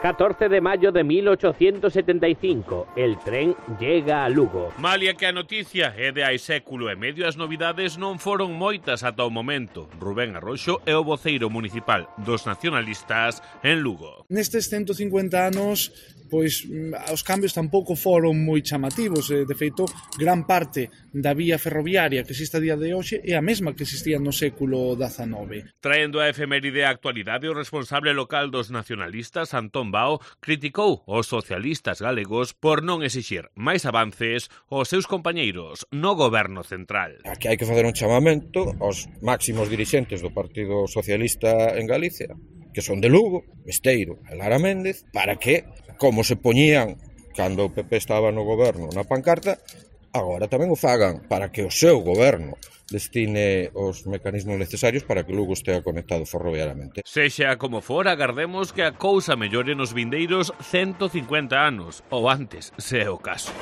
14 de mayo de 1875, el tren llega a Lugo. Malia que a noticia é de hai século e medio, as novidades non foron moitas ata o momento. Rubén Arroxo é o voceiro municipal dos nacionalistas en Lugo. Nestes 150 anos, pois os cambios tampouco foron moi chamativos. De feito, gran parte da vía ferroviaria que existe a día de hoxe é a mesma que existía no século XIX. Traendo a efeméride á actualidade, o responsable local dos nacionalistas, Antón Bao, criticou os socialistas galegos por non exixir máis avances aos seus compañeiros no goberno central. Aquí hai que facer un chamamento aos máximos dirixentes do Partido Socialista en Galicia, que son de Lugo, Besteiro e Lara Méndez, para que, como se poñían cando o PP estaba no goberno na pancarta, agora tamén o fagan para que o seu goberno destine os mecanismos necesarios para que Lugo estea conectado ferroviariamente. Sexa como for, agardemos que a cousa mellore nos vindeiros 150 anos, ou antes, se é o caso.